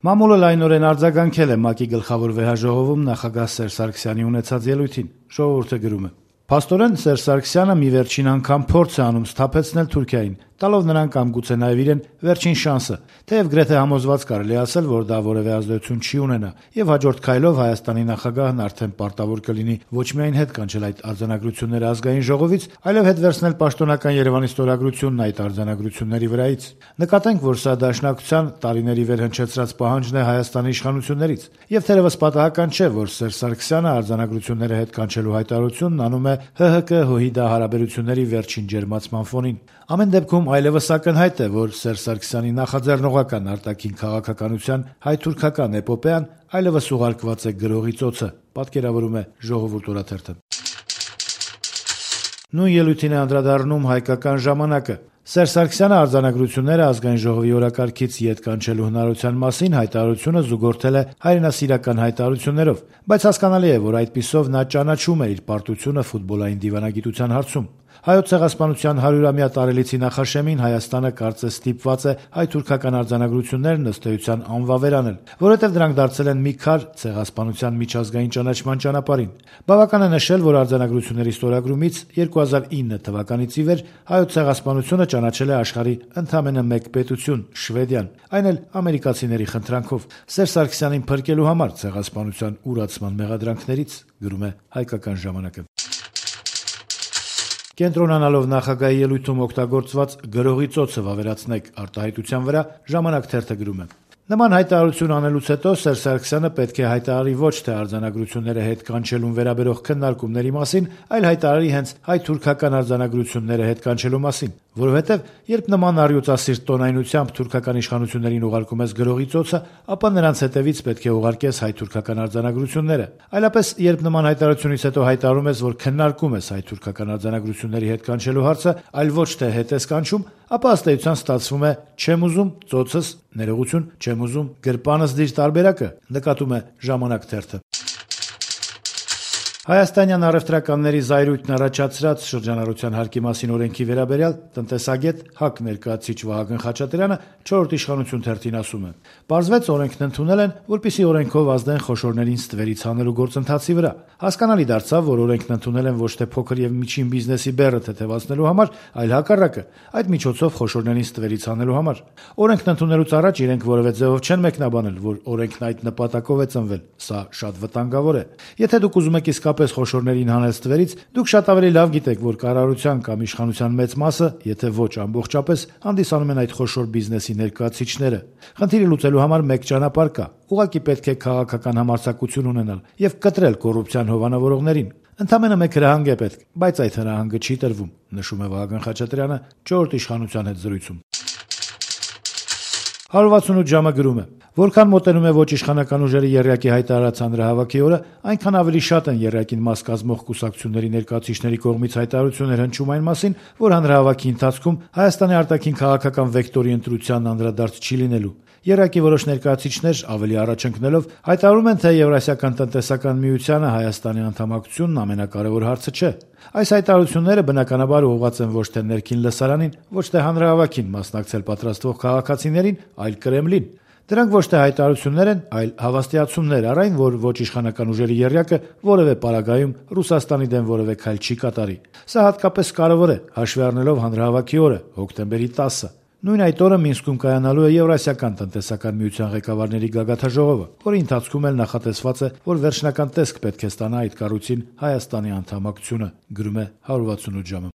Մամուլը լայնորեն արձագանքել է ՄԱԿ-ի գլխավոր վեհաժողովում նախագահ Սերժ Սարգսյանի ունեցած ելույթին։ Ժողովուրդը գրում է. «Փաստորեն Սերժ Սարգսյանը մի վերջին անգամ փորձ է անում սթափեցնել Թուրքիային, տալով նրան կամ գուցե նաև իրեն վերջին շանսը, թեև գրեթե համոզված կարելի ասել, որ դա որևէ ազդեցություն չի ունենա, եւ հաջորդ քայլով Հայաստանի նախագահն արդեն պարտավոր կլինի ոչ միայն հետ կանչել այդ արձանագրությունները ազգային ժողովից, այլև հետ վերցնել պաշտոնական Երևանի ստորագրությունն այդ արձանագրությունների վրայից։ Նկատենք, որ սա դաշնակցության տարիների վեր հնչեցրած պահանջն է Հայաստանի իշխանություններից, եւ թերևս պատահական չէ, որ Սերժ Սարգսյանը արձանագրությունները հետ կանչելու հայտարարությունն անում է ՀՀԿ-ՀՅԴ հարաբերությունների վերջին ջերմացման ֆոնին։ Ամեն դեպքում այլևս ակնհայտ է, որ Սերժ Սարգսյանի նախաձեռնողական արտաքին քաղաքականության հայ-թուրքական էպոպեան այլևս ուղարկված է գրողի ծոցը», պատկերավորում է Ժողովուրդ օրաթերթը։ Նույն ելույթին է անդրադառնում «Հայկական ժամանակ»-ը։ Սերժ Սարգսյանը արձանագրությունները ազգային ժողովի օրակարգից ետ կանչելու հնարավորության մասին հայտարարությունը զուգորդել է հայրենասիրական հայտարարություններով, բայց հասկանալի է, որ այդպիսով նա ճանաչում է իր պարտությունը ֆուտբոլային դիվանագիտության հարցում։ Հայոց ցեղասպանության 100-ամյա տարելիցի նախաշեմին Հայաստանը կարծես ստիպված է հայ-թուրքական արձանագրություններն ըստ էության անվավեր անել, որովհետև դրանք դարձել են մի քար ցեղասպանության միջազգային ճանաչման ճանապարհին։ Բավական է նշել, որ արձանագրությունների ստորագրումից 2009 թվականից ի վեր հայոց ցեղասպանությունը ճանաչել է աշխարհի ընդամենը մեկ պետություն՝ Շվեդիան, այն էլ ամերիկացիների խնդրանքով։ Սերժ Սարգսյանին փրկելու համար ցեղասպանության ուրացման մեղադրանքներից, գրում է Հայկական ժամանակը։ Կենտրոնանալով նախագահի ելույթում օգտագործված գրողի ծոցը վավերացնեք արտահայտության վրա Ժամանակ թերթը գրում է. Նման հայտարարություն անելուց հետո Սերժ Սարգսյանը պետք է հայտարարի ոչ թե արձանագրությունները հետ կանչելուն վերաբերող քննարկումների մասին, այլ հայտարարի հենց հայ-թուրքական արձանագրությունները հետ կանչելու մասին, որովհետև երբ նման առյուծասիրտ տոնայնությամբ թուրքական իշխանություններին ուղարկում ես գրողի ծոցը, ապա նրանց հետևից պետք է ուղարկես հայ-թուրքական արձանագրությունները։ Այլապես, երբ նման հայտարարությունից հետո հայտարարում ես, որ քննարկում ես հայ-թուրքական արձանագրությունների հետ կանչելու հարցը, այլ ոչ թե հետ ես կանչում, ապա ըստ էության ստացվում է չեմ ուզում ծոցս, ներողություն, չեմ ուզում գրպանս դիր տարբերակը, նկատում է Ժամանակ թերթը։ Հայաստանյան առևտրականների զայրույթն առաջացրած շրջանառության հարկի մասին օրենքի վերաբերյալ տնտեսագետ ՀԱԿ ներկայացուցիչ Վահագն Խաչատրյանը 4-րդ իշխանություն թերթին ասում է. «Պարզվեց օրենքն ընդունել են, որպեսզի օրենքով ազդեն խոշորներին ստվերից հանելու գործընթացի վրա։ Հասկանալի դարձավ, որ օրենքն ընդունել են ոչ թե փոքր եւ միջին բիզնեսի բեռը թեթևացնելու համար, այլ հակառակը, այդ միջոցով խոշորներին ստվերից հանելու համար։ Օրենքն ընդունելուց առաջ իրենք որևէ ձևով չեն մեկնաբանել, որ օրենքն այդ նպատակով է ծնվել։ Սա շատ վտանգավոր է։ Եթե դուք ուզում եք իսկապես խոշորներին հանել ստվերից, դուք շատ ավելի լավ գիտեք, որ կառավարության կամ իշխանության մեծ մասը, եթե ոչ ամբողջապես, հանդիսանում են այդ խոշոր բիզնեսի ներկայացուցիչները։ Խնդիրը լուծելու համար մեկ ճանապարհ կա։ Ուղղակի պետք է քաղաքական համարձակություն ունենալ եւ կտրել կոռուպցիան հովանավորողներին։ Ընդամենը մեկ հրահանգ է պետք, բայց այդ հրահանգը չի տրվում», նշում է Վահագն Խաչատրյանը 4-րդ իշխանության հետ զրույցում։ 168 ժամը գրում է. «Որքան մոտենում է ոչ իշխանական ուժերի եռյակի հայտարարած հանրահավաքի օրը, այնքան ավելի շատ են եռյակին մաս կազմող կուսակցությունների ներկայացուցիչների կողմից հայտարարություններ հնչում այն մասին, որ հանրահավաքի ընթացքում Հայաստանի արտաքին քաղաքական վեկտորի ընտրությանն անդրադարձ չի լինելու։ Եռյակի որոշ ներկայացուցիչներ ավելի առաջ ընկնելով հայտարարում են, թե Եվրասիական տնտեսական միությանը Հայաստանի անդամակցությունն ամենակարևոր հարցը չէ։ Այս հայտարարությունները բնականաբար ուղղված են ոչ թե ներքին լսարանին, ոչ թե հանրահավաքին մասնակցել պատրաստվող քաղաքացիներին, այլ Կրեմլին։ Դրանք ոչ թե հայտարարություններ են, այլ հավաստիացումներ առ այն, որ ոչ իշխանական ուժերի եռյակը որևէ պարագայում Ռուսաստանի դեմ որևէ քայլ չի կատարի։ Սա հատկապես կարևոր է, հաշվի առնելով հանրահավաքի օրը, հոկտեմբերի 10-ը։ Նույն այդ օրը Մինսկում կայանալու է Եվրասիական տնտեսական միության ղեկավարների գագաթնաժողովը, որի ընթացքում էլ նախատեսված է, որ վերջնական տեսք պետք է ստանա այդ կառույցին Հայաստանի անդամակցությունը, գրում է 168 ժամը։